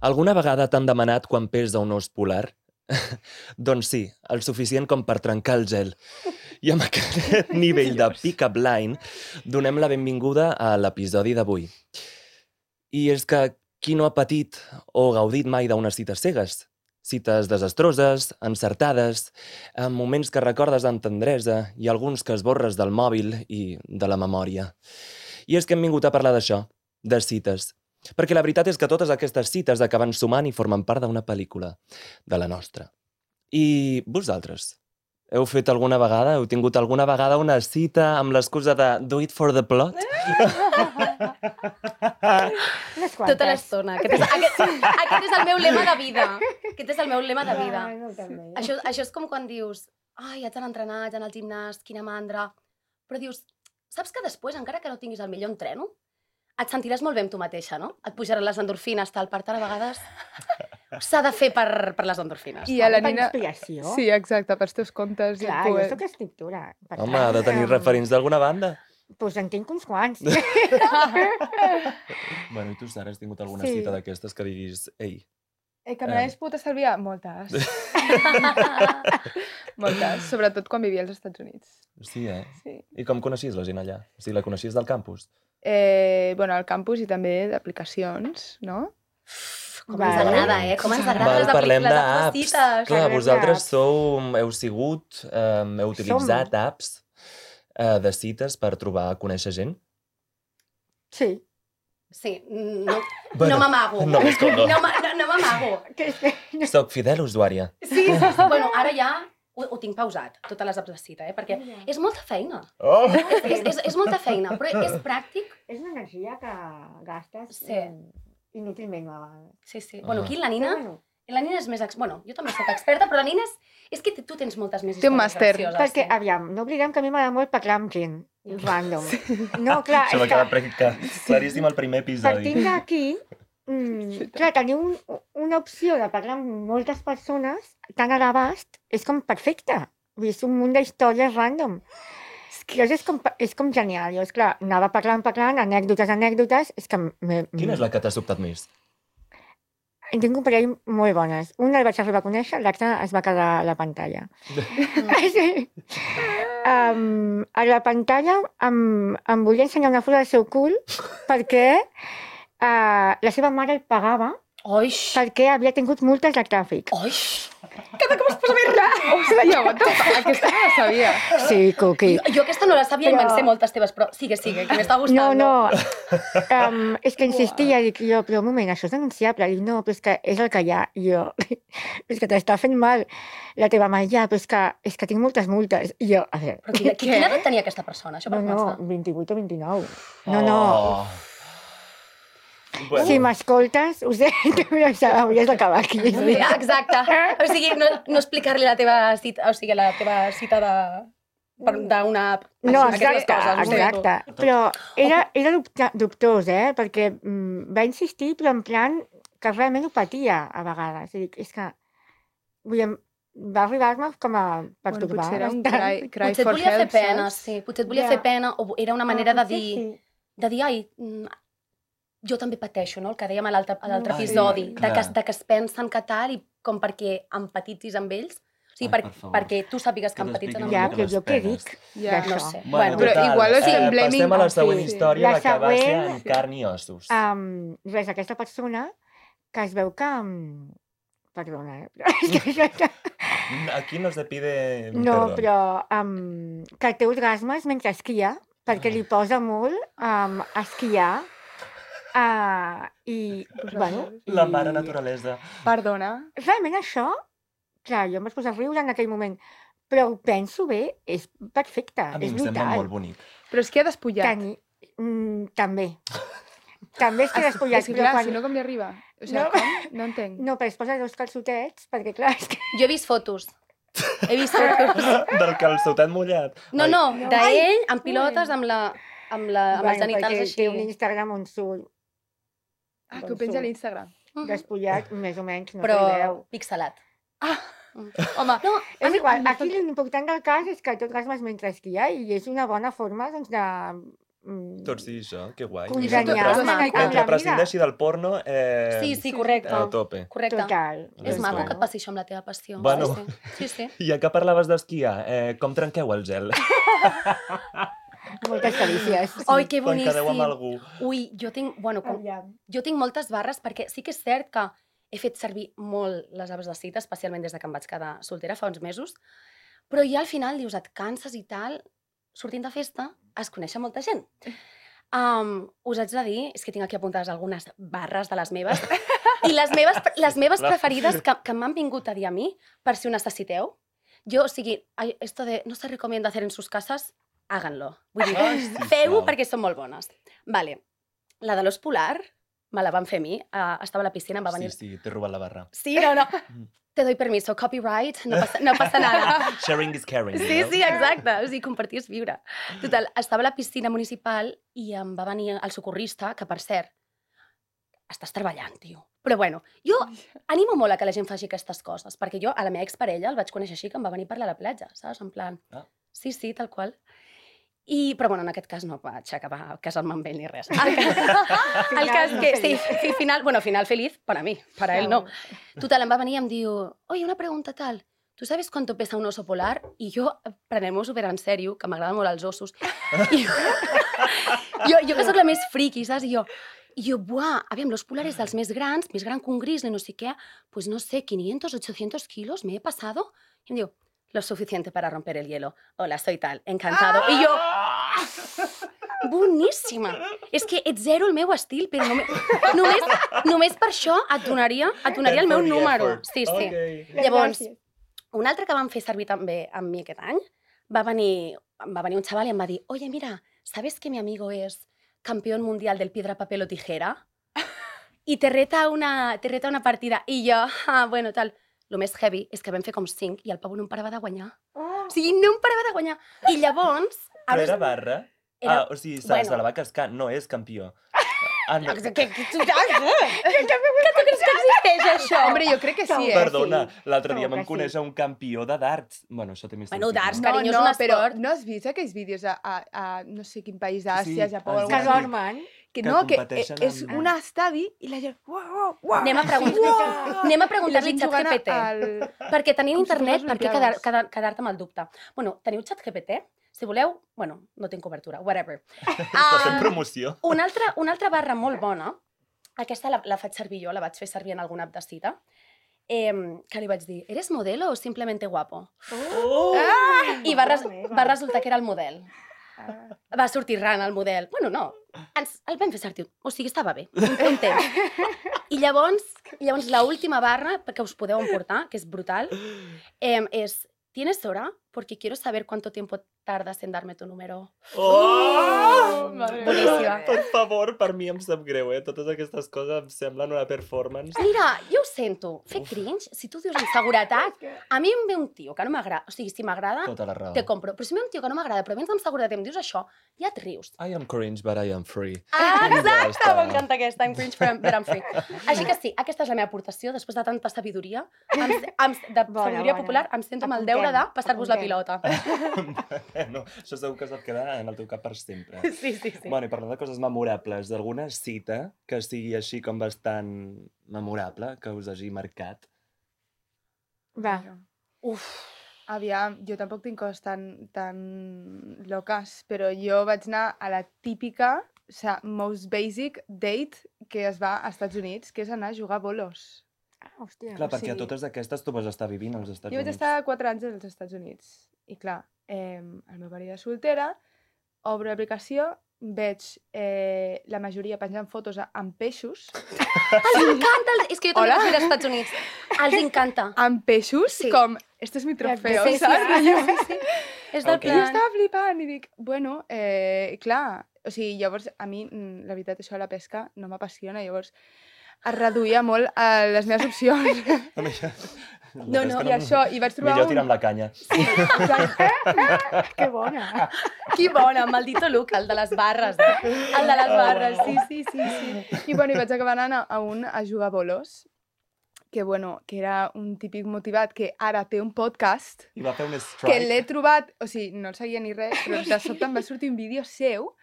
Alguna vegada t'han demanat quan pesa un os polar? Doncs sí, el suficient com per trencar el gel. I amb aquest nivell de pick-up line donem la benvinguda a l'episodi d'avui. I és que qui no ha patit o gaudit mai d'unes cites cegues? Cites desastroses, encertades, amb moments que recordes amb tendresa i alguns que esborres del mòbil i de la memòria. I és que hem vingut a parlar d'això, de cites. Perquè la veritat és que totes aquestes cites acaben sumant i formen part d'una pel·lícula, de la nostra. I vosaltres? Heu fet alguna vegada, heu tingut alguna vegada una cita amb l'excusa de do it for the plot? Tota l'estona. Aquest és el meu lema de vida. Aquest és el meu lema de vida. Això és com quan dius ai, haig d'anar a entrenar, haig d'anar al gimnàs, quina mandra. Però dius, saps que després, encara que no tinguis el millor entreno, et sentiràs molt bé amb tu mateixa, no? Et pujaran les endorfines, tal. Per tant, a vegades s'ha de fer per les endorfines. I a la Per Nina... inspiració. Sí, exacte, pels teus comptes. Clar, jo soc escriptora. Per Home, tant, ha de tenir referents d'alguna banda. Doncs en tinc uns quants. Bueno, i tu, Sara, has tingut alguna Sí. cita d'aquestes que diguis, ei, Que me l'hagués pogut estalviar? Moltes. Moltes, sobretot quan vivia als Estats Units. sí, Sí. I com coneixies la gent allà? O sigui, la coneixies del campus? Bueno, al campus i també d'aplicacions, no? Com ens agrada, Com ens agrada Parlem les d'apps. cites. Clar, Parlem vosaltres d'apps. heu sigut, heu utilitzat apps de cites per trobar, conèixer gent? Sí. Sí, no Bueno, m'amago. no, és com no. No m'amago. Soc fidel usuària. Sí. Bueno, ara ja ho tinc pausat, totes les apps de cita, perquè és molta feina. Oh! És molta feina, però és pràctic. És una energia que gastes Sí. inútilment a vegades. Sí. Bueno, aquí la Però Nina bueno, és més... Bueno, jo també soc experta, però la Nina és que tu tens moltes més Té un històries màster. gracioses. perquè, aviam, no oblidem que a mi m'agrada molt parlar amb gent. Random. No, clar, Això m'ha quedat claríssim al primer episodi. partint d'aquí, clar, tenir una opció de parlar amb moltes persones tan a l'abast és com perfecte. Vull dir, és un munt d'històries random. Llavors és com genial. Llavors, clar, anava parlant, anècdotes, és que... Quina és la que t'ha sobtat més? En tinc un parell molt bones. Una el vaig arribar a conèixer, l'altra es va quedar a la pantalla. Sí. A la pantalla em volia ensenyar una foto del seu cul perquè la seva mare el pagava Oix! perquè havia tingut multes de tràfic. Oix! Ostres, ja, aquesta no la sabia. Sí, Cuqui. Jo aquesta no la sabia i Però- me'n sé moltes teves, però sigue, que m'està gustant. No. És que insistia, dic jo, però un moment, això és denunciable. Dic, no, però és que és el que hi ha. I jo, és que t'està fent mal la teva mare, ja, però és que tinc moltes multes. I jo, a veure, Però quina edat tenia aquesta persona, això per no, començar? 28 o 29. Oh. No. Bueno, Si m'escoltes, ho sé, hauries d'acabar aquí. Sí, exacte. O sigui, no explicar-li la teva cita, d'una app. No, Aquestes exacte, coses, ho sento. exacte. Però era dubtós, perquè va insistir, però en plan que realment ho patia a vegades. És que, vull dir, va arribar-me com a pertorbar. Potser era un bastant. cry Potser et for volia fer help, pena, saps? sí. Potser et volia Ja. fer pena, o era una manera de Potser dir, ai, jo també pateixo, no? El que dèiem a l'altre Ah, episodi, sí, de clar. que es pensen que tal i com perquè empatitzis amb ells. O sigui, Ai, per favor. perquè tu sàpigues que Que empatitzen t'expliquin amb Ja, una ells. mica però jo què les dic Ja. d'això? No sé. Bueno, Però total, igual estem blaming... passem a la següent Sí. història, La que va ser següent- amb carn i ossos. Res, aquesta persona que es veu que... Perdona, Aquí no se pide no, perdó. però que té orgasmes mentre esquia, perquè li posa molt a esquiar i, bueno... La mare naturalesa. Perdona. Realment això, clar, jo em vaig posar a riure en aquell moment, però ho penso bé, és perfecte, A mi és em sembla brutal. molt bonic. Però és que ha despullat. També. També és que despullat, És que però clar, quan... si no com li arriba? O sigui, No. com? No entenc. No, però es posa dos calçotets, perquè clar, és que... Jo he vist fotos. He vist fotos. Del calçotet mullat. No, Ai, d'ell amb pilotes, amb els genitals perquè així. té un Instagram on surt Que ho penja a l'Instagram. despullat, més o menys, no Però se li veu. pixelat. Home, No, És igual, aquí l'important del cas és que tot orgasmes mentre esquia i és una bona forma, doncs, de Tot sí, això, que guai. congeniar amb la Mentre vida. prescindeixi del porno, Sí, correcte. a tope. Correcte. Total. És maco guai. que et passi això amb la teva passió. Bueno. Sí. Ja que parlaves d'esquiar, com trenqueu el gel? Moltes carícies. Oi, que Quan quedeu amb boníssim. algú. Ui, jo tinc Aviam. moltes barres perquè sí que és cert que he fet servir molt les apps de cita, especialment des de que em vaig quedar soltera fa uns mesos, però ja al final dius, et canses i tal, sortint de festa, es coneix molta gent. Us haig de dir, és que tinc aquí apuntades algunes barres de les meves, i les meves preferides que m'han vingut a dir a mi, per si ho necessiteu. Jo, o sigui, esto de no se recomienda hacer en sus casas, háganlo. Vull dir, feu-ho perquè són molt bones. Vale, la de l'os polar me la van fer a mi, estava a la piscina, em va venir... Sí, t'he robat la barra. Sí, no. Te doy permiso, copyright, no passa nada. Sharing is caring. Sí, no? sí, exacte. O sigui, compartir és viure. Total, estava a la piscina municipal i em va venir el socorrista, que per cert, estàs treballant, tio. Però bueno, jo animo molt a que la gent faci aquestes coses, perquè jo a la meva exparella el vaig conèixer així, que em va venir a parlar a la platja, saps? En plan... Sí, tal qual. Però bueno, en aquest cas no vaig acabar casant-me amb ell ni res. El cas que, sí, final feliz para mí, para él no. Total, em va venir i em diu, oye, una pregunta tal, ¿tú sabes cuánto pesa un oso polar? I jo, prenem-ho super en sèrio, que m'agraden molt els ossos. I jo que sóc la més friki, saps? I jo, buah, aviam, l'os polar és dels més grans, més gran que un grizzly, no sé què, pues no sé, 500, 800 kilos, me he pasado. I em diu, lo suficiente para romper el hielo. Hola, soy tal, encantado. I jo... Boníssima! És que ets zero el meu estil, però només per això et donaria el meu número. Sí. Okay. Llavors, un altre que vam fer servir també amb mi aquest any, va venir un xaval i em va dir, oye, mira, ¿sabes que mi amigo es campeón mundial del piedra, papel o tijera? I te reta una partida. I jo, bueno, tal... El més heavy és que vam fer com 5 i el pavo no em parava de guanyar. O sigui, no em parava de guanyar. I llavors... Però era barra? O sigui, se la va cascar, no és campió. No. Que tu creus que existeix això? Hombre, jo crec que sí, Perdona, l'altre dia vam conèixer un campió de darts. Bueno, això té més sentit. Bueno, darts, no? carinyo, és un però esport. no has vist aquells vídeos a no sé quin país d'Àsia, Sí, Japó... sí. algú Que així? dormen. Que Que no, que competeixen és amb- un estadi i la gent... Uau, uau, Anem a preguntar-li gent xat jugant GPT. Perquè tenint com si internet, fos per què Olimpiades. quedar-te amb el dubte? Bueno, teniu xat GPT? Si voleu, bueno, no tinc cobertura, whatever. Està fent promoció. Una altra barra molt bona, aquesta la faig servir jo, la vaig fer servir en alguna app de cita, que li vaig dir, ¿eres modelo o simplemente guapo? I va resultar que era el model. Va sortir ran el model. Bueno, no, el vam fer servir. O sigui, estava bé, un temps. I llavors l'última barra que us podeu emportar, que és brutal, és ¿tienes hora? Porque quiero saber cuánto tiempo tardas en darme tu número. Boníssima. Per favor, per mi em sap greu, Totes aquestes coses em semblen una performance. Mira, jo ho sento, fer cringe, si tu dius amb seguretat, a mi em ve un tio que no m'agrada, o sigui, si m'agrada, Tota la raó. te compro, però si em ve un tio que no m'agrada, però vens amb seguretat i em dius això, ja et rius. I am cringe, but I am free. Exacte, m'encanta aquesta, I'm cringe but I'm free. Així que sí, aquesta és la meva aportació, després de tanta sabidoria, sabidoria popular, em sento amb el deure de passar-vos la pilota. No, això segur que se't queda en el teu cap per sempre. Sí. Bueno, i parlant de coses memorables, d'alguna cita que sigui així com bastant memorable, que us hagi marcat? Va. Uf, Aviam, jo tampoc tinc coses tan loques, però jo vaig anar a la típica, o sigui, most basic date que es va als Estats Units, que és anar a jugar a bolos. Hòstia. Clar, perquè a sí. totes aquestes tu vas estar vivint als Estats Jo vaig Units. estar 4 anys als Estats Units. I clar, el meu marit de soltera, obro l'aplicació, veig la majoria penjant fotos amb peixos. els encanta, és que jo també Hola? vaig ir als Estats Units. Els encanta. Amb peixos? Sí. Com, este és mi trofeo, Sí, saps? És del Ok. I jo plan... estava flipant i dic, bueno, clar, o sigui, llavors a mi, la veritat, això de la pesca no m'apassiona, llavors es reduïa molt a les meves opcions. No, I això, i vaig trobar Millor tirar amb la canya. Que bona. Que bona, maldito look, el de les barres. El de les barres, sí. I bueno, i vaig acabar anant a jugar a bolos, que bueno, que era un típic motivat que ara té un podcast, I va fer un que strike. l'he trobat, o sigui, no el seguia ni res, però de sobte em va sortir un vídeo seu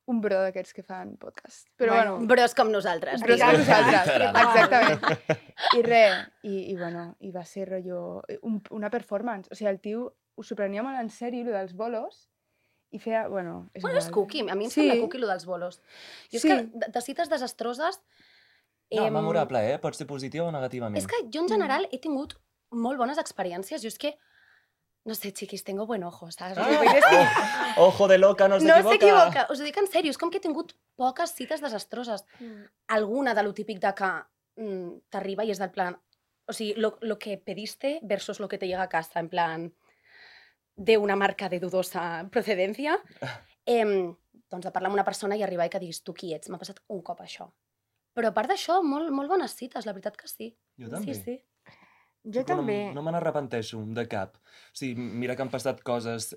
un bro d'aquests que fan podcast. Però bueno, Bros com nosaltres. bros com nosaltres, Literal. exactament. I res, i va ser rotllo una performance. O sigui, el tio ho s'ho prenia molt en sèrio, lo dels bolos, i feia, bueno... És cookie, a mi em sembla cookie, lo dels bolos. Jo és que de cites desastroses... No, memorable, Pot ser positiva o negativament. És que jo en general he tingut molt bones experiències. Jo és que, no sé, chiquis, tengo buen ojo, saps? Ojo de loca, no s'equivoca. No s'equivoca, us ho dic en sèrio, és com que he tingut poques cites desastroses. Alguna de lo típic de que t'arriba i és del plan... O sigui, lo que pediste versus lo que te llega a casa, en plan... de una marca de dudosa procedencia, doncs de parlar amb una persona i arribar i que diguis tu qui ets. M'ha passat un cop això. Però a part d'això, molt bones cites, la veritat que sí. Jo també. Sí. Jo també. No me n'arrepenteixo de cap. O sigui, mira que han passat coses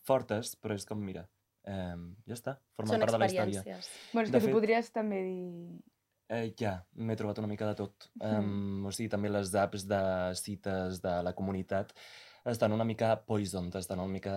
fortes, però és com, mira, ja està, formen part de la història. experiències. Bueno, és que tu podries també dir... Ja, m'he trobat una mica de tot. O sigui, també les apps de cites de la comunitat estan una mica poisoned, estan una mica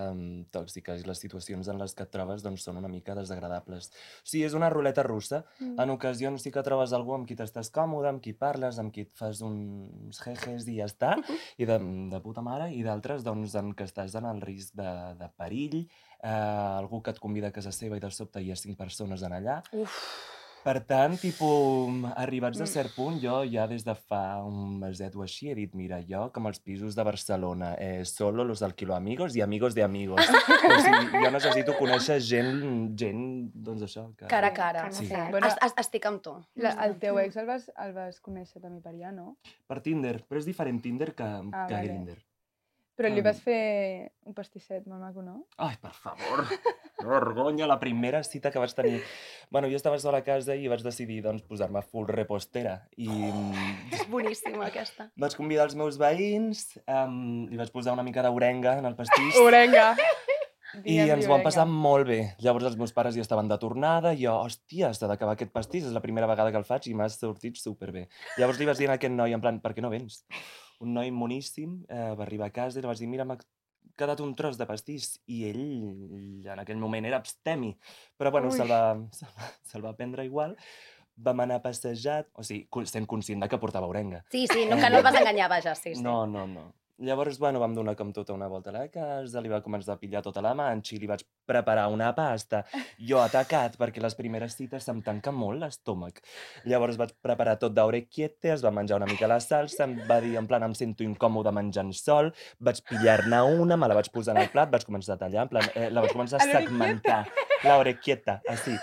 tòxiques, i les situacions en les que et trobes doncs, són una mica desagradables. O sigui, és una ruleta russa. En ocasions sí que trobes algú amb qui t'estàs còmode, amb qui parles, amb qui et fas uns jejes i ja està, i de puta mare, i d'altres doncs, en què estàs en el risc de perill, algú que et convida a casa seva i de sobte hi ha 5 persones en allà. Per tant, arribats a cert punt, jo ja des de fa un meset o així he dit, mira, jo com els pisos de Barcelona, solo los alquilo amigos y amigos de amigos. O sigui, jo necessito conèixer gent, doncs això. Cara a cara. Sí. Bueno, Estic amb tu. el teu ex el vas conèixer també per allà, no? Per Tinder, però és diferent Tinder que vale. Grindr. Però li vas fer un pastisset molt maco, no? Ai, per favor, que vergonya, la primera cita que vaig tenir. Bueno, jo estava sola a casa i vaig decidir, doncs, posar-me full repostera. I És boníssima, aquesta. vaig convidar els meus veïns, li vaig posar una mica d'orenga en el pastís. Orenga! I ens ho vam passar molt bé. Llavors els meus pares ja estaven de tornada i jo, hòstia, s'ha d'acabar aquest pastís, és la primera vegada que el faig i m'ha sortit superbé. Llavors li vaig dir a aquest noi, en plan, per què no vens? Un noi moníssim, va arribar a casa i li vaig dir, mira, m'ha quedat un tros de pastís. I ell, en aquell moment, era abstemi. Però, bueno, se'l va prendre igual. Vam anar a passejar, o sigui, sent conscient de que portava orenga. Sí, que no el vas enganyar, vaja, sí. No. Llavors, bueno, vam donar com tota una volta a la casa, li va començar a pillar tota la manxa i li vaig preparar una pasta. Jo atacat, perquè les primeres cites se'm tanca molt l'estómac. Llavors vaig preparar tot d'orecchiette, es va menjar una mica la salsa, em va dir, en plan, em sento incòmode menjant sol, vaig pillar-ne una, me la vaig posar en el plat, vaig començar a tallar, en plan, la vaig començar a segmentar. L'orecchietta, així.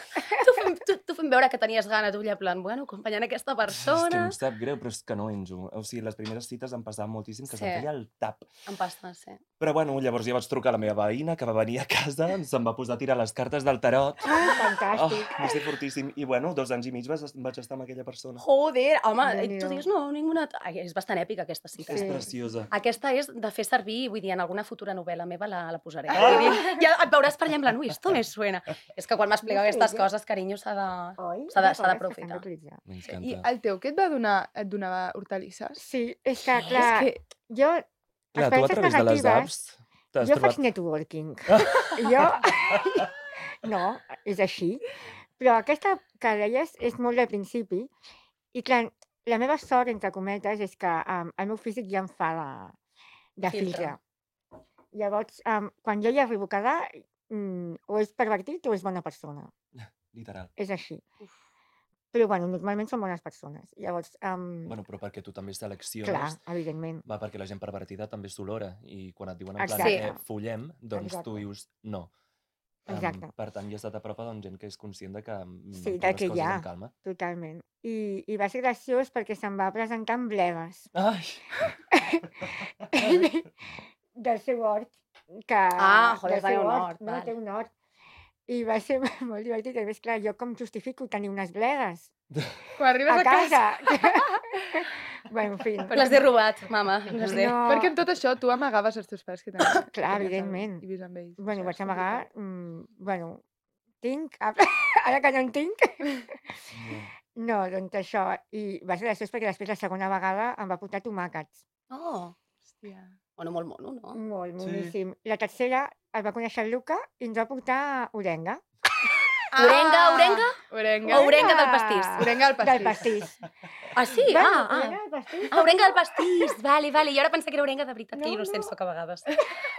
Tu fent veure que tenies gana, tu allà, plan, bueno, acompanyant aquesta És que persona... em sap greu, però és que no enjo. O sigui, les primeres cites em passava moltíssim que se'm feia el tap. Em passa, sí. Però bueno, llavors ja vaig trucar a la meva veïna, que va venir a casa, se'm va posar a tirar les cartes del tarot. Fantàstic. Va ser fortíssim. I bueno, 2 anys i mig vaig estar amb aquella persona. Joder, home, Déu-n'hi-do. tu dius, no, ninguna... Ai, és bastant èpica, aquesta cita. És preciosa. Aquesta és de fer servir, vull dir, en alguna futura novel·la meva la posaré. Vull dir, ja et veuràs per allà en plan, ui, esto me suena. És que quan m'explica aquestes coses, carinyo, s'ha d'aprofitar. M'encanta. I el teu, què et donava hortalisses? Sí, és que, clar, És que... jo... Clar, tu a través de les apps t'has Jo trobat... faig networking. No, és així. Però aquesta que deies és molt del principi. I clar, la meva sort, entre cometes, és que el meu físic ja em fa de filtre. Llavors, quan jo hi arribo a quedar, o és pervertit o és bona persona. Literal. És així. Però, bueno, normalment són bones persones. Llavors, Bueno, però perquè tu també selecciones... clar, evidentment. Va, perquè la gent pervertida també s'olora. I quan et diuen en plan, Exacte. follem, doncs tu Exacte. dius no. Exacte. Per tant, ja has estat a prop doncs, gent que és conscient de que Sí, pren de les que hi coses ha. amb calma. Totalment. I va ser graciós perquè se'm va presentar amb blegues Ai! del seu hort. Que, joder, del seu tenia un hort. hort, No, val. té un hort. I va ser molt divertit. A més, clar, jo com justifico tenir unes blegues Quan arribes a a casa... casa? Bueno, en fi. Les he robat, mama. Les he... No, Perquè amb tot això tu amagaves els teus pares que tenies. Clar, evidentment. I vius amb ells. Bueno, Això vaig és amagar... complicat. Bueno, tinc... Ara que no en tinc... No, doncs això. I va ser graciós perquè després la segona vegada em va portar tomàquets. Oh, Hòstia. bueno, molt mono, no? Molt Sí. boníssim. La tercera el va conèixer el Luca i ens va portar orenga. Orenga Orenga. o orenga del pastís? Orenga del Del pastís. pastís. Ah, sí? Orenga del pastís. Orenga del pastís. Vale. Jo ara pensava que era orenga de veritat, que No, innocent no. soc a vegades.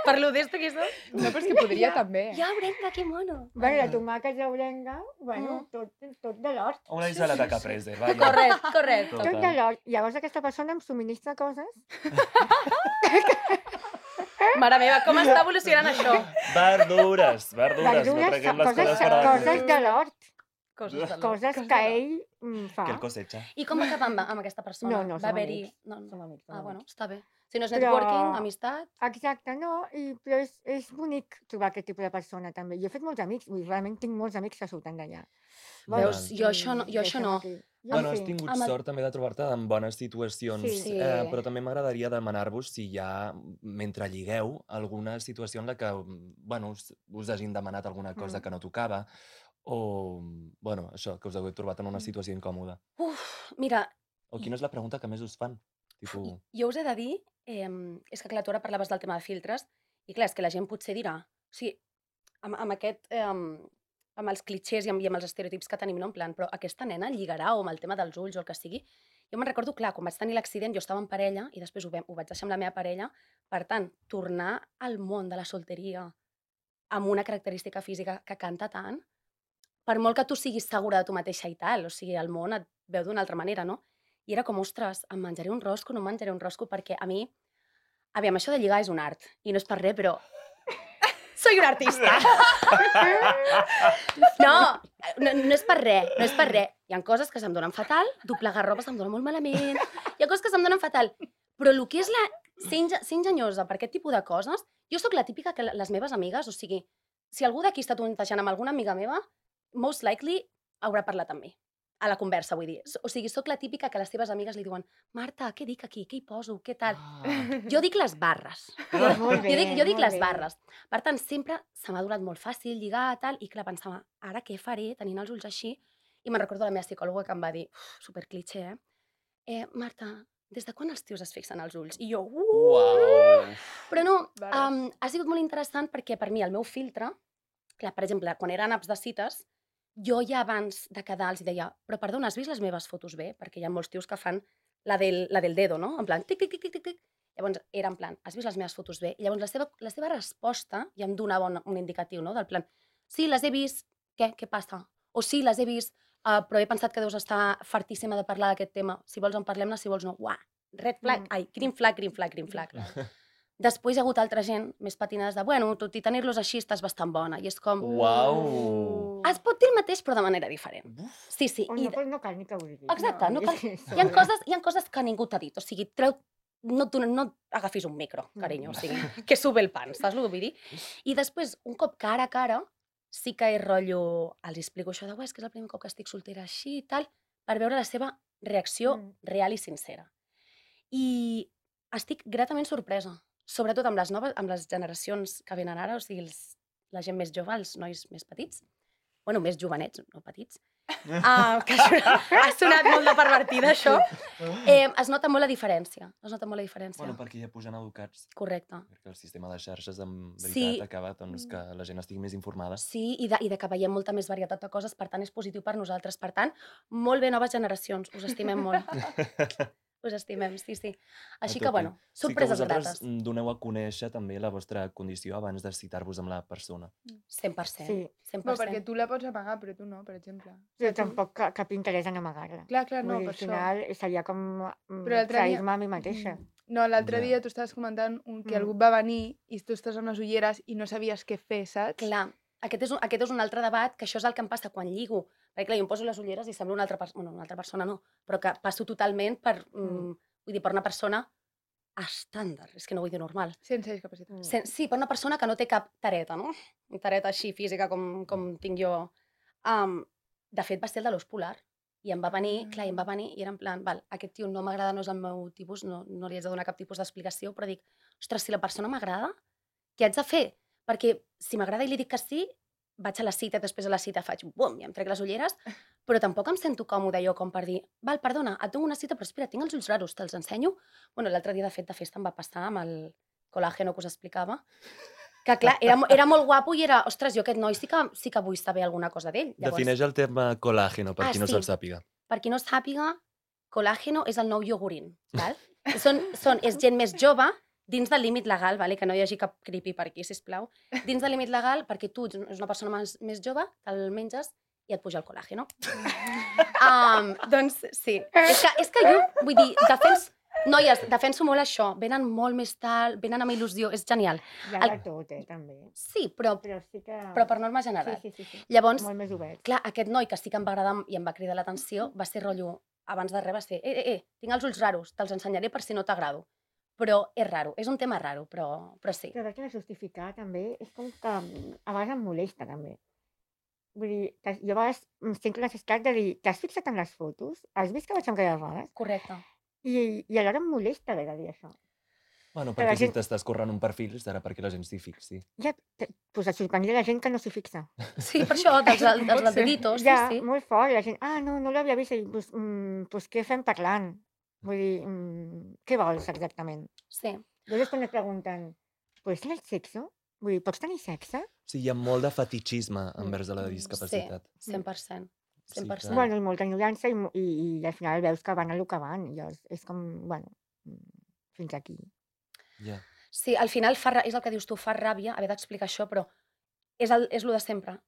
Parlo d'esto que soc. No, però és que podria també. Ja, orenga, que mono. Bueno, la tomàquet d'orenga, bueno, tot de l'hort. Una ensalada caprese, vaja. Correcte. Total. Tot de l'hort. Llavors aquesta persona em subministra coses. Mare meva, com està evolucionant això? Verdures, no traguem les coses per a... coses de l'hort. Coses de l'hort. Coses que ell fa. Que el cosecha. I com va acabar amb aquesta persona? No, Va som haver-hi... amics. Som amics, som Ah, bueno, amics. està bé. Si no és Però- networking, amistat... Exacte, no, però és bonic trobar aquest tipus de persona també. Jo he fet molts amics, vull dir, realment tinc molts amics que surten d'allà. Veus, jo això no. Bueno, has tingut sort també de trobar-te en bones situacions, Sí. però també m'agradaria demanar-vos si hi ha, mentre lligueu, alguna situació en la que, bueno, us hagin demanat alguna cosa que no tocava, o, bueno, això, que us hagueu trobat en una situació incòmoda. Mira, O quina és la pregunta que més us fan? Tipo, jo us he de dir, és que clar, tu ara parlaves del tema de filtres, i clar, és que la gent potser dirà, o sigui, amb aquest, amb els clichés i amb els estereotips que tenim, no? En plan, però aquesta nena lligarà o amb el tema dels ulls o el que sigui. Jo me'n recordo, clar, quan vaig tenir l'accident, jo estava en parella i després ho vaig deixar amb la meva parella. Per tant, tornar al món de la solteria amb una característica física que canta tant, per molt que tu siguis segura de tu mateixa i tal, o sigui, el món et veu d'una altra manera, no? I era com, ostres, em menjaré un rosco, no em menjaré un rosco, perquè a mi, aviam, això de lligar és un art, i no és per res, però soy un artista. No és per res, no és per res. Hi ha coses que se'm donen fatal, doblegar roba se'm dona molt malament, hi ha coses que se'm donen fatal, però el que és ser enginyosa per aquest tipus de coses, jo sóc la típica que les meves amigues, o sigui, si algú d'aquí està tontejant amb alguna amiga meva, most likely haurà parlat amb mi. A la conversa, vull dir. O sigui, sóc la típica que les teves amigues li diuen Marta, què dic aquí? Què hi poso? Què tal? Jo dic les barres. Molt bé, Jo dic molt les bé. barres. Per tant, sempre se m'ha donat molt fàcil lligar, tal, i clar, pensava, ara què faré tenint els ulls així? I me'n recordo la meva psicòloga que em va dir, superclitxé, Marta, des de quan els tios es fixen als ulls? I jo, Uau! Però no, Barres. ha sigut molt interessant perquè per mi el meu filtre, clar, per exemple, quan eren apps de cites, jo ja abans de quedar els deia, però perdona, has vist les meves fotos bé? Perquè hi ha molts tios que fan la del dedo, no? En plan, tic, tic, tic, tic, tic, tic. Llavors era en plan, has vist les meves fotos bé? I llavors la seva resposta ja em donava un indicatiu, no? Del plan, sí, les he vist, què passa? O sí, les he vist, però he pensat que deus estar fartíssima de parlar d'aquest tema. Si vols en parlem-ne, si vols no. Uah, red flag, green flag, green flag, green flag. Després hi ha hagut altra gent més patinades de, bueno, tot i tenir-los així estàs bastant bona. I és com... Uau! Es pot dir el mateix, però de manera diferent. Sí. O no cal ni que ho diguis. Exacte, no cal... Hi ha coses que ningú t'ha dit. O sigui, no agafis un micro, carinyo. O sigui, que sube el pan, saps el que vull dir? I després, un cop cara a cara, sí que és rotllo... Els explico això de, és que és el primer cop que estic soltera així i tal, per veure la seva reacció real i sincera. I estic gratament sorpresa. Sobretot amb les generacions que venen ara, o sigui, la gent més jove, els nois més petits, bueno, més jovenets, no petits, que ha sonat molt de pervertida, això, es nota molt la diferència. Bueno, perquè ja pugen educats. Correcte. Perquè el sistema de xarxes, en veritat, Sí. acaba doncs, que la gent estigui més informada. Sí, i de que veiem molta més varietat de coses, per tant, és positiu per nosaltres. Per tant, molt bé, noves generacions, us estimem molt. Us estimem, sí. Així que, bueno, sorpreses grates. Sí que vosaltres doneu a conèixer també la vostra condició abans de citar-vos amb la persona. 100%. Sí. 100%. No, perquè tu la pots amagar, però tu no, per exemple. Jo tampoc cap interès en amagar-la. Clar, no, Vull dir, per al final seria com Però l'altre dia- trair-me a mi mateixa. No, l'altre Ja. dia tu estaves comentant que algú va venir i tu estàs amb les ulleres i no sabies què fer, saps? Clar, aquest és un altre debat, que això és el que em passa quan lligo. Perquè, clar, jo em poso les ulleres i sembla una altra persona, bueno, una altra persona no, però que passo totalment per, vull dir, per una persona estàndard, és que no vull dir normal. Sense discapacitat. Sí, per una persona que no té cap tareta, no? Una tareta així física com tinc jo. De fet, va ser el de l'os polar. I em va venir, clar, i em va venir i era en plan, val, aquest tio no m'agrada, no és el meu tipus, no li haig de donar cap tipus d'explicació, però dic, ostres, si la persona m'agrada, què haig de fer? Perquè si m'agrada i li dic que sí, vaig a la cita, després a la cita faig bum, i em trec les ulleres, però tampoc em sento còmode jo com per dir, val, perdona, et dono una cita, però espera, tinc els ulls raros, te'ls ensenyo? Bueno, l'altre dia, de fet, de festa em va passar amb el col·làgeno que us explicava. Que clar, era molt guapo i era, ostres, jo aquest noi sí que vull saber alguna cosa d'ell. Defineix el terme colàgeno, per qui no se'l sàpiga. Per qui no sàpiga, colàgeno és el nou iogurín, val? És gent més jove, dins del límit legal, vale? Que no hi hagi cap creepy per aquí, sisplau. Dins del límit legal, perquè tu ets una persona més jove, te'l menges i et puja el colàgeno. Doncs sí. És que jo, vull dir, noies, defenso molt això. Venen molt més tard, venen amb il·lusió, és genial. Hi ha de tot, també. Sí, però sí que... per norma general. Sí. Llavors, molt més obert. clar, aquest noi que sí que em va agradar i em va cridar l'atenció va ser rotllo, abans de res va ser, tinc els ulls raros, te'ls ensenyaré per si no t'agrado. Però és raro, és un tema raro, però sí. Però que justificar també és com que a vegades em molesta també. Vull dir, jo a vegades em sento necessitat de dir, t'has fixat en les fotos? Has vist que vaig amb aquelles rodes? Correcte. I alhora em molesta haver de dir això. Bueno, perquè si t'estàs corrent un perfil serà perquè la gent s'hi fixi. Ja, doncs et sorprendria la gent que no s'hi fixa. Sí, per això, dels deditos, ja, sí. Molt fort, la gent, no l'havia vist, i doncs què fem parlant? Vull dir, què vols exactament? Sí. Llavors quan et pregunten, ¿puedes tener sexo? Vull dir, pots tenir sexe? Sí, hi ha molt de fetichisme envers la discapacitat. Sí, 100%. 100%. Sí, bueno, i molta ignorància i al final veus que van a lo que van. I és com, bueno, fins aquí. Yeah. Sí, al final és el que dius tu, fa ràbia haver d'explicar això, però és lo de sempre.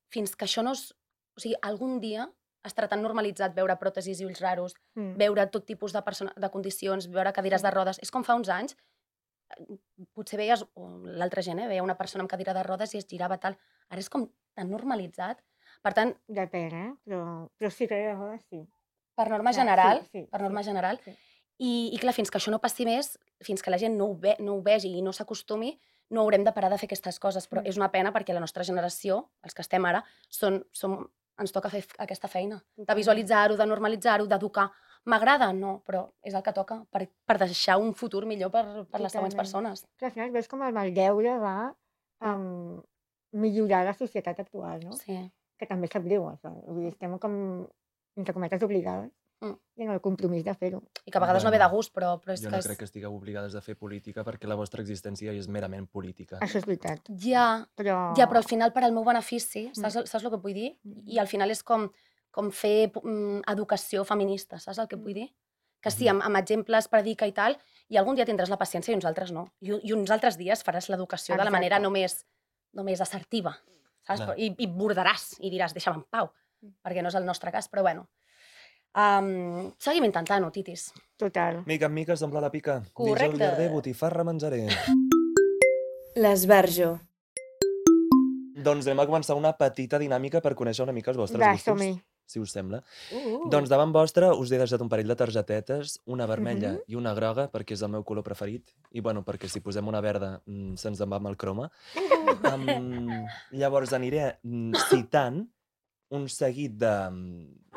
Fins que això no és... O sigui, algun dia estarà tan normalitzat veure pròtesis i ulls raros, veure tot tipus de condicions, veure cadires de rodes. És com fa uns anys, potser veies, l'altra gent, veia una persona amb cadira de rodes i es girava tal. Ara és com tan normalitzat. Per tant... Depèn, però sí, cadira de rodes sí. Per norma general, per norma general. I clar, fins que això no passi més, fins que la gent no ho vegi i no s'acostumi, no haurem de parar de fer aquestes coses. Però és una pena perquè la nostra generació, els que estem ara, ens toca fer aquesta feina, de visualitzar-ho, de normalitzar-ho, d'educar. M'agrada? No, però és el que toca per deixar un futur millor per les següents persones. Al final veus com el maldeure va millorar la societat actual, no? Sí. Que també sap greu, això. Vull dir, estem com, entre cometes, obligades i en el compromís de fer-ho. I que a vegades no ve de gust, però és que... Jo no crec que estigueu obligades a fer política perquè la vostra existència és merament política. Això és veritat. Ja, però al final per al meu benefici, saps el que vull dir? I al final és com fer educació feminista, saps el que vull dir? Que sí, amb exemples, predica i tal, i algun dia tindràs la paciència i uns altres no. I uns altres dies faràs l'educació de la manera només assertiva, saps? I bordaràs i diràs, deixa'm en pau, perquè no és el nostre cas, però bueno. Seguim intentant-ho, titis. Total. Mica en mica s'omple la pica. Correcte. Dins el llarder, botifarra menjaré. L'esbarjo. Doncs anem a començar una petita dinàmica per conèixer una mica els vostres gustos. Som-hi. Si us sembla. Doncs davant vostre us he deixat un parell de targetetes, una vermella i una groga, perquè és el meu color preferit, i bueno, perquè si posem una verda se'ns en va amb el croma. Llavors aniré citant un seguit de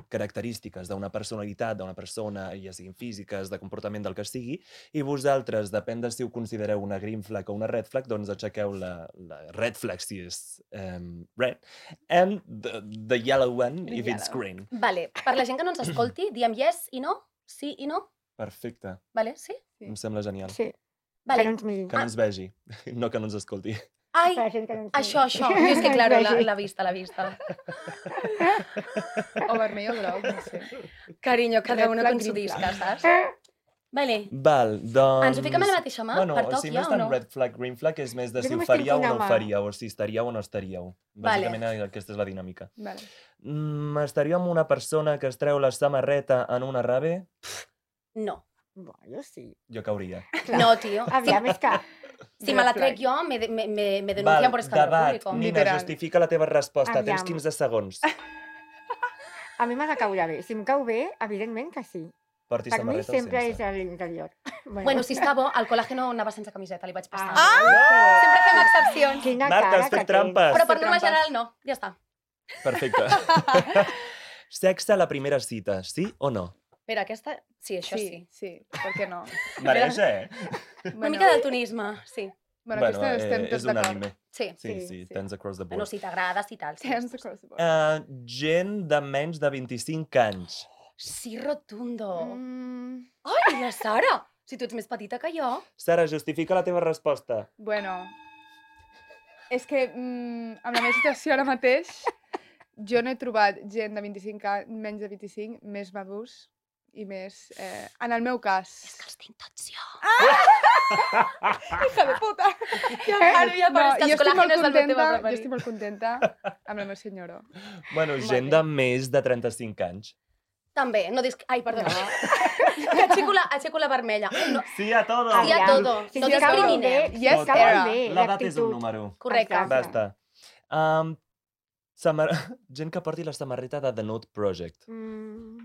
característiques d'una personalitat, d'una persona, ja siguin físiques, de comportament del que sigui, i vosaltres, depèn de si ho considereu una green flag o una red flag, doncs aixequeu la red flag si és red, and the yellow one if it's green. Vale, per la gent que no ens escolti, diem yes i no, sí i no. Perfecte. Vale, sí? Em sembla genial. Sí. Vale. Que no ens vegi, no que no ens escolti. Ai, això. És que, claro, la vista. O vermell o groc, no sé. Carinyo, cada una con su disca, saps? Vale. Val, doncs... Ens ho fiquem a la mateixa mà? Bueno, Per toc si ja no és o tan no? red flag, green flag, és més de si ho només faríeu tinc o no una ho mà. faríeu, o si estaríeu o no estaríeu. Bàsicament aquesta és la dinàmica. Vale. Estaríeu amb una persona que es treu la samarreta en una rave? No. Jo sí. Jo cauria. No, tio. Aviam, és que... Si me la trec jo, me denuncian por escándalo debat. público. Nina, Literal. justifica la teva resposta. Aviam. Tens 15 segons. A mi m'ha de caure bé. Si em cau bé, evidentment que sí. Portis Per mi samarreta o sempre és sense? a l'interior. Bueno, si està bo, el col·làgeno anava sense camiseta, li vaig passar. Ah! Sempre fem excepcions. Quina Marta, cara has fet que trampes. Però per norma trampes. general no, ja està. Perfecte. Sexe a la primera cita, sí o no? Espera, aquesta... Sí, això sí. Sí, per què no? Mereix, Una mica d'altonisme, sí. Bueno, aquesta estem és tots d'acord. unànime. Sí. Sí, tens across the Bueno, board. si t'agrada, si tal. Tens across the board. Gent de menys de 25 anys. Sí, rotundo. Ai, la Sara! Si tu ets més petita que jo. Sara, justifica la teva resposta. Bueno, És que amb la meva situació ara mateix, jo no he trobat gent de 25 anys, menys de 25, més madurs i més... en el meu cas. És que els tinc tots jo. Hija de puta! Ara ja pareix que els col·làgenes del meu tema Jo preferit. estic molt contenta amb la meva senyora. Bueno, gent de més de 35 anys. També, no dis... Ai, perdona. Aixeco la vermella. No, Sí a todo! sí a todo. Sí, No sí, està molt bé. discriminem. Yes, Està era. molt bé, L'edat és un l'actitud. número. Correcte. Exacte. Basta. Gent que porti la samarreta de The Nude Project.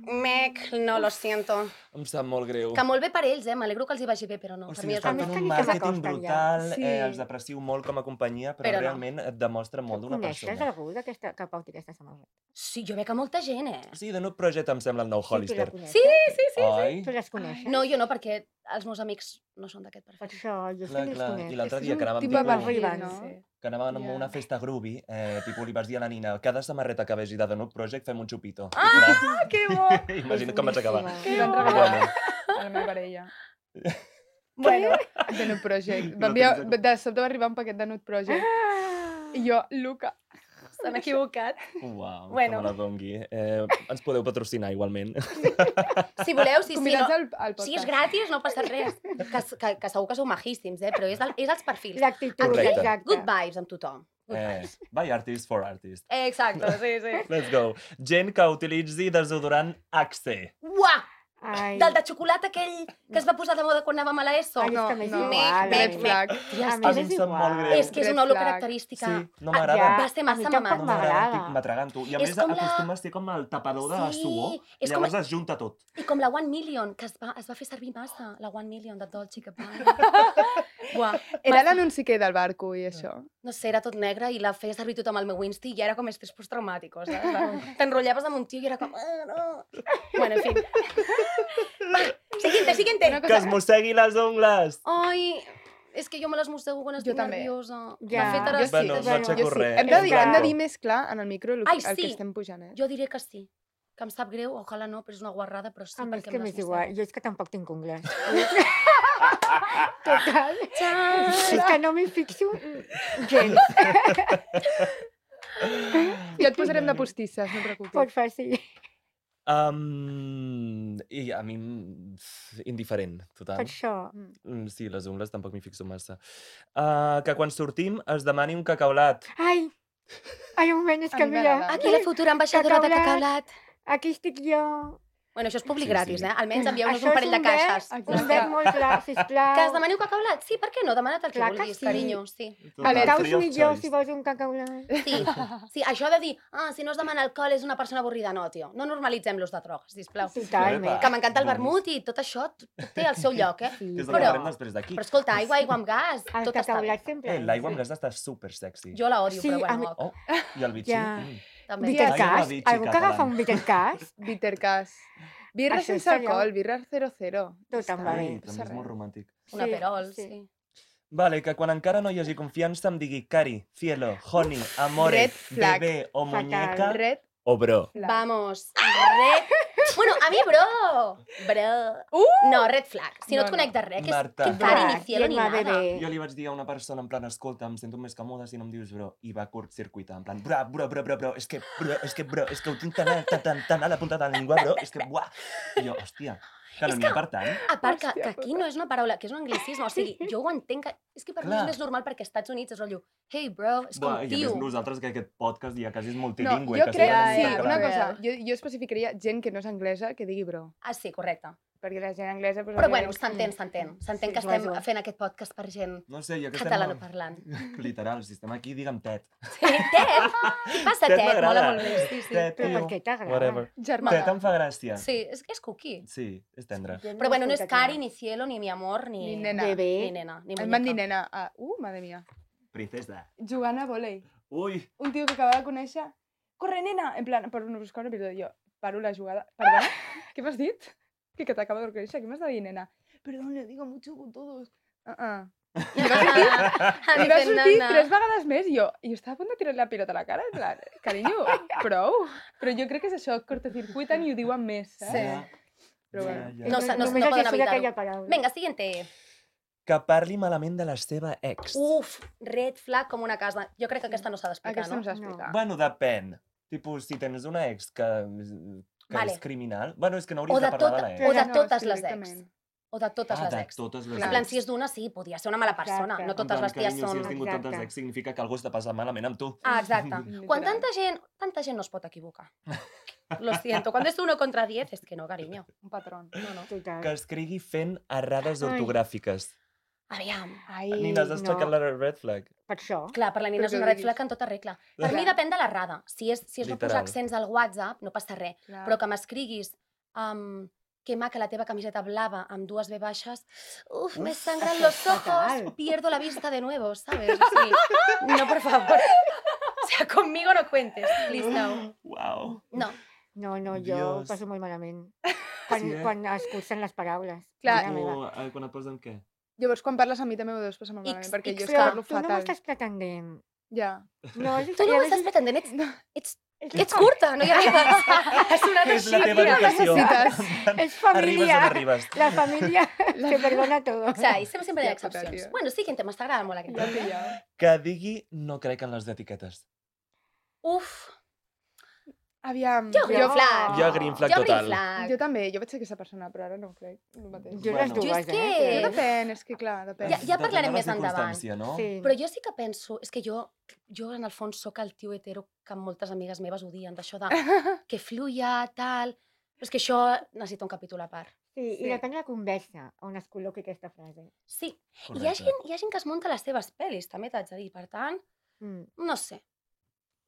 Mec, no, lo siento. Em sap molt greu. Que molt bé per ells, m'alegro que els hi vagi bé, però no. O Per sigui, mi és estan el més fent que un ni se màrqueting s'acosten brutal, ja. Sí. els aprecio molt com a companyia, però Però no. realment et demostra molt d'una Coneixes persona. algú que porti aquesta samarreta? Sí, jo veig a molta gent, Sí, The Nude Project em sembla el nou Hollister. Sí, sí. Oi? Tu les coneixes? No, jo no, perquè els meus amics no són d'aquest Per perfil. això, jo sí Clar, que les clar. conec. I l'altre És dia un que anàvem tipus de tipus- perfil, Arriben, no? sí. que anàvem a una festa groovy, tipus li vas dir a la Nina, cada samarreta que vegi de The Nude Project fem un xupito. Ah, que bo! Imagina't com vaig acabar. boníssima. Li van regalar a la meva parella. Bueno, De Nude Project. No De sobte va arribar un paquet de Nude Project. I jo, Luca. s'han equivocat. Uau, Bueno. que me la dongui. Ens podeu patrocinar igualment. Si voleu, sí, no. Convidats al podcast. Si és gratis, no passa res. Que segur que sou majíssims, però és els perfils. L'actitud, Correcte. exacte. Good vibes amb tothom. By artist for artist. Exacte, sí. Let's go. Gent que utilitzi desodorant Axe. Uah! Ai, Del de xocolata aquell que es va posar de moda quan anàvem a l'ESO. Ai, és No, que m'és no. igual. Red Red flag. A mi A mi m'és em sap molt igual. greu. És que és Red una olor flag. característica. Sí, no Ja, m'agrada. Va ser a massa mi tampoc mamat. No m'agrada, m'agrada. estic m'atragant-ho. I a És més com la- acostuma a ser com el tapador de Sí, suor. és com- Llavors es junta tot. I com la 1 Million, que es va fer servir massa, la 1 Million de Dolce Gabbana. Buah, Era l'anunci que del barco i això. no sé, era tot negre i la feia servir tothom al meu Insta i ja era com estrès postraumàtico, saps? T'enrotllaves amb un tio i era com... no. Bueno, en fi. Va, siguiente. Una Que es mossegui les ungles! Ai, és que jo me les mossego quan estic també. nerviosa. Ja. De fet, ara Jo sí. sí. Bueno, no aixeco Jo sí. res. Hem de dir, És hem de que- dir més clar en el micro el Ai, que sí. estem pujant, Jo diré que sí. Que em sap greu, ojalà no, però és una guarrada, però sí, A mi és perquè que em les m'és igual. mossego. Jo és que tampoc tinc ungles. Total. Txan! És que no m'hi fixo gens. Ja et posarem de postisses, no et preocupis. Pot fer, sí. I a mi, indiferent, Per total. això. Sí, les ungles tampoc m'hi fixo massa. Que quan sortim es demani un cacaulat. Ai, ai, un moment, és A que mi mira, m'agrada. Aquí la futura ambaixadora de Cacaulat. Cacaulat. aquí estic jo. Bueno, això és públic Sí, gratis, sí. Almenys envieu-nos Això un és parell de verb- caixes. Un verb molt clar, sisplau. Que es demani un cacaulat? Sí, per què no? Demana't el que Clar que vulguis, sí. carinyo. Sí. Vale, Total, Caus free of millor choice. si vols un cacaulat. Sí, sí, això de dir, si no es demana alcohol és una persona avorrida, no, tio. No normalitzem l'ús de drogues, sisplau. Totalment. Que m'encanta el Boníssim. vermut i tot això tot té el seu lloc, Sí, Que és el Però- que farem després d'aquí. Però escolta, aigua amb gas, el tot està bé. cacaulat sempre. L'aigua amb gas està super sexy. Jo la odio, Sí, però a mi- bueno, ok, Oh, i el bitxí. Ja. també. Bitter Ai, una cas? bitxi Algú que catalana. agafa un bitter cas? Bittercas. Birra Això sense seria- alcohol, birra 0-0. Tot em va Ai, bé. també és molt romàntic. Un aperol, sí. Vale, que quan encara no hi hagi confiança em digui cari, cielo, honey, amore, Red flag. bebé o Fatal. muñeca Red o bro. flag. Vamos, red... Bueno, a mi, bro! Bro. No, red flag. Si no, No, et conec de res, que és Marta. que cari, ni cielo, ni Gemma, nada. bebé. Jo li vaig dir a una persona en plan, escolta, em sento més còmode si no em dius bro, i va curtcircuitar, en plan, bro, és que ho tinc tan a la punta de la llengua, bro, és que, buah. I jo, hòstia, que no És n'hi ha per tant. A part que Hòstia aquí no és una paraula, que és un anglicisme, o sigui, jo ho entenc, que és que per mi Clar. és més normal perquè als Estats Units és rotllo, hey bro, és com Buah, I a tio. més nosaltres que aquest podcast ja quasi és No, multilingüe. jo que crec, sempre sí, anem una integrant. cosa, jo especificaria gent que no és anglesa que digui bro. Ah, sí, correcte. Perquè la gent anglesa... Pues, Però bueno, òbviament, s'entén que Sí, estem suposo. fent aquest podcast per gent No sé, jo que catalanoparlant. Literal, si estem aquí, digue'm Ted. Sí, Ted! Què passa, Ted Ted? Mola m'agrada. molt bé, sí, sí. Ted, Però per tio, què t'agrada? whatever. Germà. Ted em fa gràcia. Sí, és cookie. Sí, és tendre. Però bueno, no és cari, ni cielo, ni mi amor, ni... Ni nena. Bebé. Ni nena, ni Em van dir muñeca. nena. Madre mía. Princesa. Jugant a volei. Ui, Un tio que acaba de conèixer. Corre, nena! En plan, per buscar un episodi. Jo paro la jugada. Perdona? Què m'has dit? Que t'acaba de conèixer. Què m'has de dir, nena? Perdón, le digo mucho con todos. Ah, I va sortir nena. 3 vegades més i jo estava a punt de tirar la pilota a la cara, en plan, carinyo, prou. Però jo crec que és això, cortocircuiten i ho diuen més, saps? Sí. ja. Però bueno. Ja, ja. No, Només no els poden surt evitar-ho. aquella paraula. Vinga, siguiente. que parli malament de la seva ex. Uf, red flag com una casa. Jo crec que aquesta no s'ha d'explicar, Aquesta no? no s'ha d'explicar. Bueno, depèn. Tipus, si tens una ex que Vale. és criminal... Bueno, és que no O hauries de de parlar de tota- la ex. o de No, totes sí, les ex. directament. O de totes les de ex. totes les Clar. En plan, ex. si és d'una, sí, podia ser una mala persona. Exacte. No totes les ties carinyo, són... si has tingut Exacte. tantes ex significa que algú està passant malament amb tu. Ah, exacte. Literal. Quan tanta gent no es pot equivocar. Lo siento. Cuando es 1 contra 10, es que no, cariño. Un patrón. No, no. Total. Que escrigui fent errades Ai. ortogràfiques. Aviam. Ai, Nina, has aixecat no. la red flag. Per això. Clar, per la Nina Però és què una red diguis? flag en tota regla. Per mi Clar. depèn de l'errada. Si és no Literal. posar accents al WhatsApp, no passa res. clar. Però que m'escriguis que maca la teva camiseta blava amb 2 B baixes, uf, me sangran los ojos, fatal. pierdo la vista de nuevo, ¿sabes? Sí. No, por favor. O sea, conmigo no cuentes, please no. Uau. No. No, jo Dios. ho passo molt malament. Quan, Sí, eh? quan es cursen les paraules. Clar. Mare meva. Quan et posen què? Llavors, quan parles a mi també ho deus passar molt malament, X, perquè X, jo és que Però parlo tu no fatal. m'estàs pretendent. Ja. No, és Tu no ho estàs pretendent, ets curta, no hi arribes. Has sonat És així, la teva tia. educació. Necessites. És família. Arribes on arribes. La família se perdona todo. O sea, y siempre hay Hòstia puta, excepcions. tio. Bueno, siguiente, m'està agradant molt aquest. Ja he pillat. Que digui no crec en les etiquetes. Uf, Aviam. jo green flag. Jo green flag Jo green total. flag. Jo també, jo vaig ser aquesta persona, però ara no ho crec. El mateix. Jo les Bueno. dues, Jo és que- No eh? depèn, és que clar, depèn. Ja parlarem Depèn de més la endavant. circumstància, no? Sí. Però jo sí que penso, és que jo en el fons sóc el tio hetero que moltes amigues meves odien, d'això de que fluya, tal... Però és que això necessita un capítol a part. Sí, Sí. i depèn de la conversa on es col·loqui aquesta frase. Sí, i Correcte. hi ha gent que es munta les seves pel·lis, també t'haig de dir. Per tant, Mm. no sé.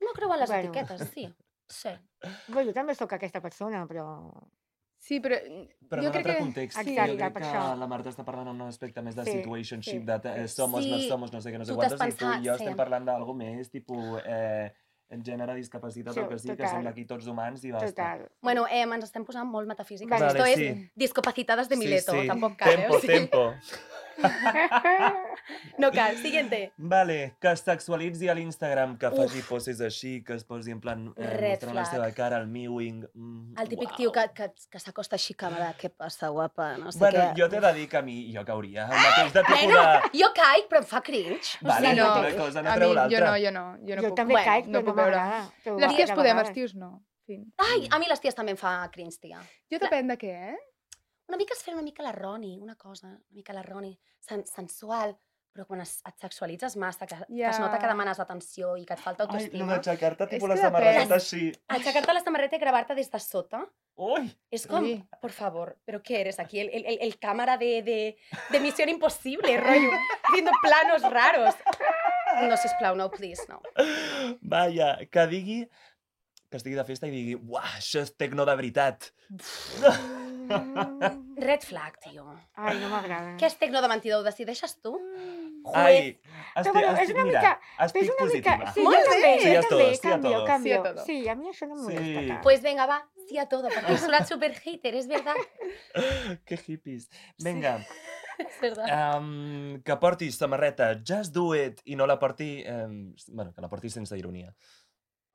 No creu en les Bueno. etiquetes, sí. Sí. Bé, jo també sóc aquesta persona, però... Sí, però Però en jo un crec altre que... context, Exacte, jo crec per que això. la Marta està parlant en un aspecte més de Sí, situationship, sí, de sí. somos, no Sí, somos, no sé què, no sé tu t'has quantes, i tu i pensat, jo sí. estem parlant d'algo més, tipus, en gènere, discapacitat, Sí, o que sí, que total. som aquí tots humans i basta. Total. Bueno, ens estem posant molt metafísiques. Vale, Esto sí. es discapacitadas de Sí, Mileto, sí. tampoc cal, Tempo, o sigui, tempo. no cal. Siguiente. Vale, que es sexualitzi a l'Instagram, que faci poses així, que es posi en plan Red mostrant la flag. seva cara, el mewing... El típic uau. tio que s'acosta així càmera, què passa, guapa, no sé Bueno, què. jo t'he de dir que a mi jo cauria. El mateix de tipus Bueno, de... jo caic, però em fa cringe. Vale, Sí, no, no. una cosa no A treu mi, l'altra. jo no Jo puc. també Bueno, caic, no però no puc veure. m'agrada. Però Les ties de podem, els vegades. tios no. Fin. Ai, a mi les ties també em fa cringe, tia. Jo depèn de què, eh? Una mica es fer una mica la Roni, una cosa, una mica la Roni, sensual, però quan et sexualitzes massa, que es nota que Ja. demanes atenció i que et falta Ai, no autoestima, d'aixecar-te tipus És la que depèn. samarreta així. aixecar-te la samarreta i gravar-te des de sota, Ui! es com, Ui. por favor, ¿pero qué eres aquí? El cámara de Misión Imposible, rollo, haciendo planos raros. No, sisplau, no, please, no. Vaja, que digui... Que estigui de festa i digui uah, això és tecno de veritat. Mm. Red flag, tio. Ai, no m'agrada. Què és tecno de mentida? Ho decideixes tu? Ai, Però és una mira, mica- estic És una mica... positiva. Sí, Molt jo també, bé. Sí jo a també, todo, sí a canvio, todo. canvio. Sí a todo. Sí, a mi això no em molesta Sí. tant. Pues venga, va, sí a todo, perquè he sonat super hater, és verdad. Que hippies. Vinga, És verdad. que portis samarreta Just Do It i no la porti... bueno, que la portis sense ironia.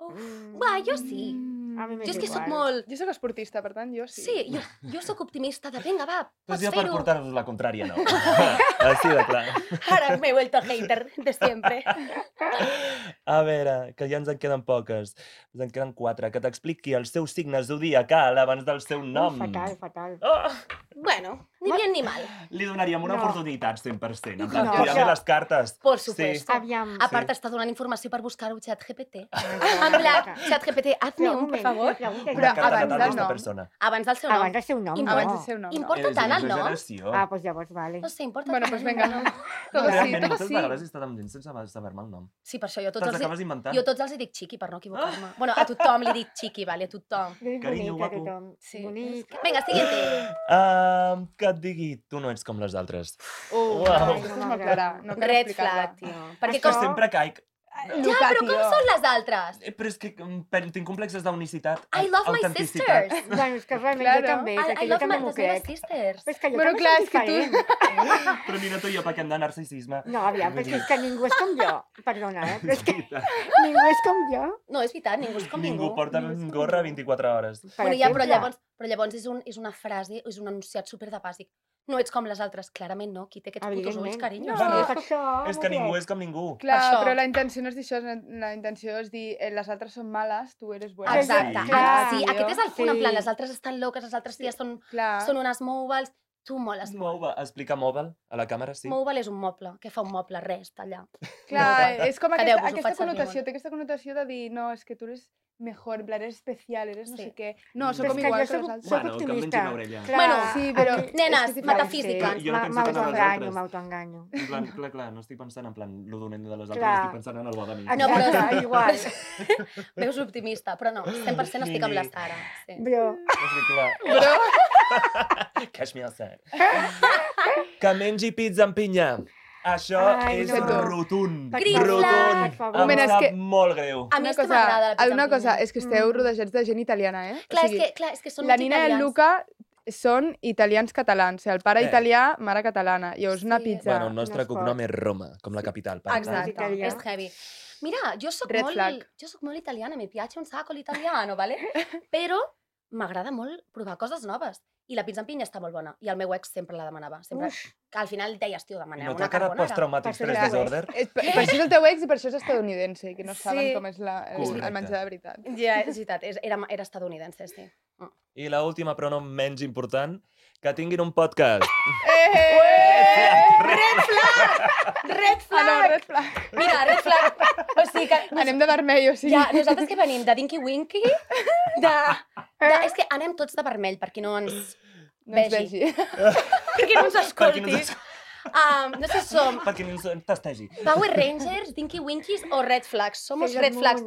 Uf. Mm. Va, jo sí. A mi m'és Jo és que sóc igual. molt... Jo sóc esportista, per tant, jo sí. Sí, jo sóc optimista de vinga, va, Pues pots jo per fer-ho. portar-vos la contrària, no. Així de clar. Ara me he vuelto hater de siempre. A veure, que ja ens en queden poques. Ens en queden 4. Que t'expliqui el seu signe zodiacal abans del seu nom. Fatal, fatal. Oh! Bueno, ni bien ni mal. Li donaríem una No. oportunitat, 100%. En plan, No. tirar-li les cartes. Por supuesto. Aviam. A part, està donant informació per buscar-ho ChatGPT. Ah, En plan, ChatGPT, hazme Però un, por moment, favor. pregunta, Una Però carta abans natal del d'esta nom. persona. Abans del seu nom. Abans del seu nom, Abans Abans no. del seu nom, Importa És tant una el nom? exageració. Ah, doncs llavors, vale. No sé, importa Bueno, tant pues el venga, nom. no. Todo sí, Realment, todo moltes sí. vegades he estat amb gent sense saber-me el nom. Sí, per això jo Te'ls acabes d'inventar. jo tots els hi dic xiqui per no equivocar-me. Bueno, a tothom li dic xiqui, vale, a tothom. Jo dic Carinyo, bonic a guapo. tothom. Sí. Bonic. Vinga, siguiente. Que et digui, tu no ets com les altres. Uau, Uau. aquesta és molt clara. No cal Red explicar-la. flag, tio. Perquè És que com... sempre caic. Ja, però com són les altres? Però és que tinc complexes d'unicitat. I love my autenticitat. sisters. Bueno, és que realment Claro. jo també, I perquè jo love també my, m'ho les meves crec. sisters. Però és que jo Bueno, també clar, soc és que tu- diferent. Però mira tu i jo pequem de narcisisme. No, aviam, perquè és que ningú és com jo. Perdona, però és que Veritat. ningú és com jo. No, és veritat, ningú és com ningú. Ningú porta gorra 24 hores. Per Bueno, ja, però exemple. llavors és una frase, és un enunciat super de bàsic. no ets com les altres. Clarament no, qui té aquests putos ulls, carinyo. És que ningú és com ningú. Clar, això. però la intenció no és dir això, la intenció és dir les altres són males, tu eres buena. Exacte. Clar, Sí, aquest és el punt, en sí. plan, les altres estan loques, les altres ties són unes mòbils, tu moles molt. Explica mòbil a la càmera, sí. Mòbil és un moble. Què fa un moble? Res, allà. Clar, és com Quedeu-vos, ho aquesta faig servir connotació, molt. té aquesta connotació de dir, no, és que tu eres mejor, en plan, eres especial, eres no Sí. sé què. No, Però som és que iguals jo que les soc- altres. soc Bueno, que em mengi optimista. una orella. Clar, Bueno, Sí, però... aquí- Nenes, és que és diferent. metafísica. Jo no penso tant en les altres. M'autoenganyo. En plan, clar, no estic pensant en plan lo dolent de les altres, Clar. estic pensant en el bo de mi. No, però- Exacte, igual. Veus optimista, però no, 100% estic amb la Sara. Sí. Bro, Clar. Cash me outside. Que mengi pizza amb pinya. Això Ai, és no. rotund. Green flag. Rotund. Per favor. Em Moment, és sap que- molt greu. A mi és que m'agrada la pizza Una amb cosa, pinya. és que esteu rodejats de gent italiana, eh? Clar, O sigui, és que són la uns Nina i el italians. Luca són italians catalans. El pare Eh. italià, mare catalana. Llavors, una Sí. pizza... Bueno, el nostre no es cognom pot. és Roma, com la capital. per tant. Exacte, Italià. és heavy. Mira, jo soc Red flag. molt italiana, me piace un sacco l'italiano, ¿vale? Però m'agrada molt provar coses noves. I la pizza amb pinya està molt bona. I el meu ex sempre la demanava. Sempre, que al final deies, tio, I demaneu no una t'ha quedat carbonara. postraumàtic Per stress ser disorder? Per això és el teu ex i per això és estadounidense, que no Sí. saben com és el Correcte. menjar de veritat. Ja, és veritat, era estadounidense, sí. I la última, però no menys important, que tinguin un podcast. Red Ah, no, flag! red flag. Mira, red flag. O sigui que... Anem de vermell, o sigui... Ja, nosaltres que venim de Dinky Winky, és que anem tots de vermell, per qui no ens no ens vegi. vegi. Per qui no ens escolti. Per qui no ens- No sé si som Perquè ni ens tastegi. Power Rangers, Dinky Winkies o Red Flags. Som els Red Flags.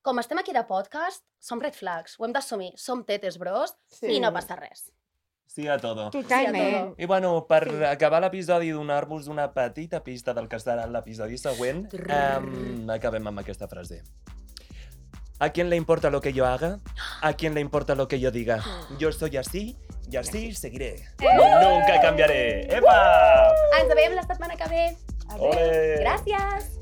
Com estem aquí de podcast, som Red Flags. Ho hem d'assumir. Som tetes, bros, i no passa res. Sí a todo. Totalment. I bueno, per acabar l'episodi i donar-vos una petita pista del que serà l'episodi següent, acabem amb aquesta frase. ¿A quién le importa lo que yo haga? ¿A quién le importa lo que yo diga? Yo soy así y así seguiré. Nunca cambiaré. ¡Epa! Ens veiem la setmana que ve. Ole! Gràcies!